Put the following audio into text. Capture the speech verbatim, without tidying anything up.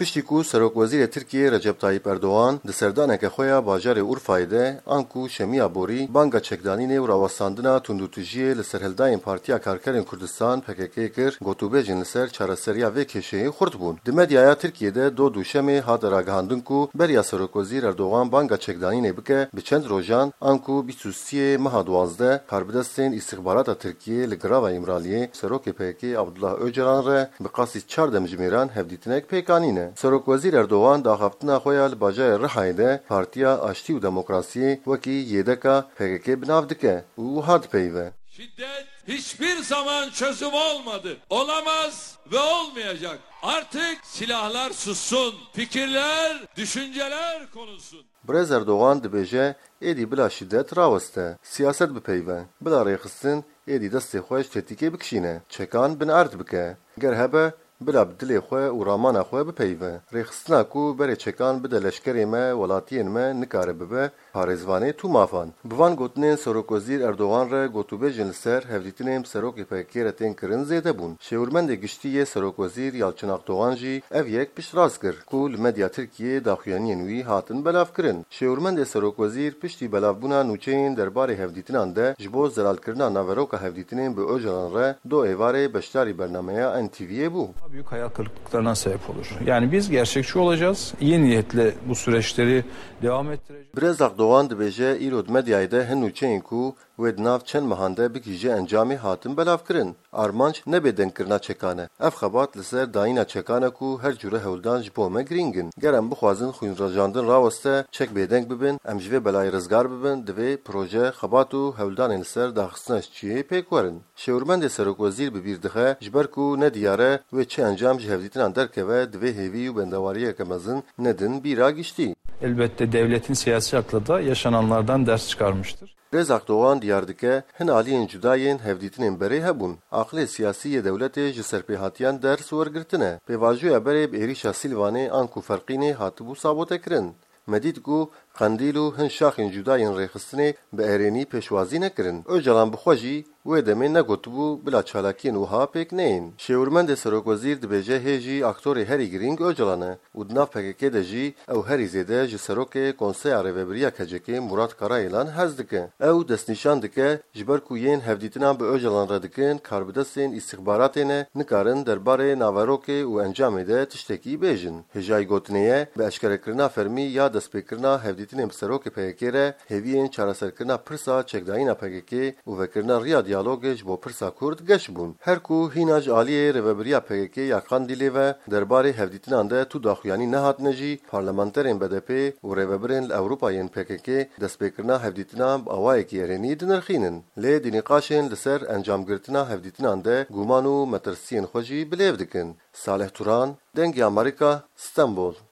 Piştî ku Serokwezîrê Tirkiyê Recep Tayyip Erdogan di serdaneke xwe ya bajarê Urfayê de, anku Şemiya Borî, banga çekdanînê û rawestandina tundûtijiyê li serhildayên Partiya Karkerên Kurdistan, P K K, kir, gotûbêjên li ser çareseriya vê kêşeyê xurt bûn. Di medyaya Tirkiyê de dod û şemê hate ragihandin ku beriya Serokwezîr Erdogan banga çekdanînê bike, bi çend rojan, anku bîst û siyê meha duwazdeh, karbidestên îstixbarata Tirkiyê li Girava Îmraliyê Serokê P K K Abdullah Ocalan re bi qasî çar demjimêran hevdîtinek pêk anîne. Serokwezîr Erdogan di axaftina xwe ya li bajarê Rihayê de Partiya Aştî û Demokrasiyê wekî Y D K P K K bi nav dike û wiha dipeyive. Şiddet hiçbir zaman çözüm olmadı, olamaz ve olmayacak. Artık silahlar sussun, fikirler, düşünceler konuşsun. Birêz Erdogan dibêje, êdî bila şîdet raweste, siyaset bipeyive, bila rêxistin êdî destê xwe ji tetîkê bikişîne, çekan bin erd bike. Ger hebe, bila bi dilê xwe û ramana xwe bipeyive. Rêxistina ku berê çekan bide leşkerê me, welatiyên me, nikare bibe parêzvanê tûmafan. Bi van gotinên Serokwezîr Erdogan re gotûbêjên li ser hevdîtinên bi Serokê P K K re tên kirin zêde bûn. Şêwirmendê giştî yê Serokwezîr Yalçın Akdogan jî ev yek piştrast kir ku li medya Tirkiyê daxuyaniyên wî hatin belavkirin. Şêwirmendê Serokwezîr piştî belavbûna nûçeyên derbarê hevdîtinan de ji bo zelalkirina naveroka hevdîtinên bi Ocalan re do êvarê beşdarî bernameya N T V'yê bû. Daha büyük hayal kırıklıklarına sebep olur. Yani biz gerçekçi olacağız. İyi niyetle bu süreçleri devam ettireceğiz. Birêz Akdogan dibêje, îro di medyayê de hin nûçeyên ku wê di nav çend mehan de bigihîje encamê hatin belavkirin. Armanc ne bêdengkirina çekan e. Ev xebat li ser dayîna çekan e ku her cûre hewldan ji bo me girîng in. Ger em bixwazin xwînrejandin raweste, çek bêdeng bibin, em ji vê belayê rizgar bibin, divê proje, xebat û hewldanên li ser daxistina çiyê pêk werin. Şêwirmendê Serokwezîr bi bîr dixe, ji ber ku ne diyar e wê çi encam ji hevdîtinan derkeve, divê hêvî û bendewariyeke mezin nedin bîra giştî. Elbette devletin siyasi aklı da yaşananlardan ders çıkarmıştır. Rêz Akdogan diyar dike, hin aliyên cuda yên hevdîtinên berê hebûn. Aqilê siyasî yê dewletê ji serpêhatiyan ders wergirtine. Pêvajoya berê bi êrîşa Sîlvanê anku Ferqînê hatibû sabotekirin. Me dît ku Qendîl û hin şaxên cuda yên rêxistinê bi erênî pêşwazî nekirin. Ocalan bi xwe jî wê demê negotibû bila çalakiyên wiha pêk neyên. Şêwirmendê Serokwezîr dibêje hê jî aktorê herî girîng Ocalan e û di nav P K K de jî ew herî zêde ji Serokê Konseya Rêvebiriya K C K'ê Murat Karayelan hez dike. Ew destnîşan dike, ji ber ku yên hevdîtinan bi Ocalan re dikin, karbidestên îstixbaratê ne, nikarin derbarê naverokê û encamê de tiştekî bêjin. Hêjayî gotinê ye, bi eşkerekirina fermî ya destpêkirina hevdîtinên bi Serokê P K K re, hêviyên çareserkirina pirsa çekdayîna P K K û vekirina riya diyalogê ji bo pirsa Kurd geş bûn. Her ku hîna ji aliyê rêvebiriya P K K ya Qandîlê ve derbarê hevdîtinan de tu daxuyanî nehatine jî, parlamenterên B D P û rêvebirên li Ewropa yên P K K destpêkirina hevdîtinan bi awayekî erênî dinirxînin. Lê di nîqaşên li ser encamgirtina hevdîtinan de guman û metirsiyên xwe jî bilêv dikin. Salih Turan, Dengê Amerîka, Stenbol.